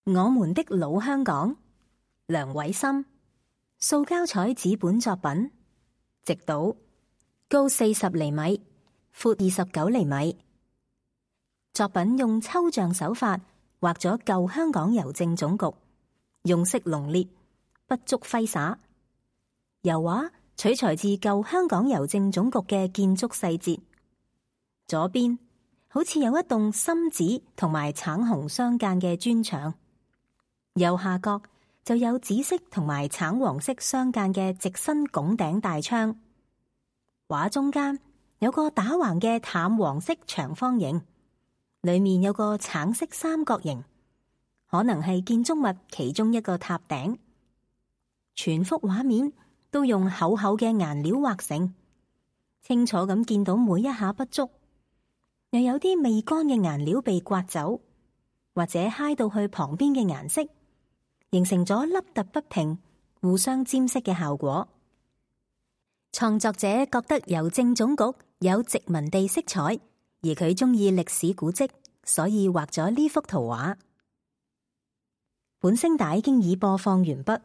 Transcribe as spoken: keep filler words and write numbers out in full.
我們的老香港，梁瑋琛，塑膠彩紙本作品，直島，高四十厘米，闊二十九厘米。作品用抽象手法畫咗舊香港郵政總局，用色濃烈，筆觸揮灑。油畫取材自舊香港郵政總局嘅建築細節。左邊好似有一棟深紫同埋橙紅相間嘅磚牆，右下角就有紫色同埋橙黃色相間嘅直身拱頂大窗。畫中間有個打橫嘅淡黃色長方形，裏面有個橙色三角形，可能係建築物其中一個塔頂。全幅畫面都用厚厚嘅顏料畫成，清楚咁見到每一下筆觸，又有啲未乾嘅顏料被刮走，或者揩到去旁邊嘅顏色，形成咗凹凸不平、互相沾色嘅效果。創作者覺得郵政總局有殖民地色彩，而佢中意歷史古蹟，所以畫咗呢幅圖畫。本聲帶經已播放完畢。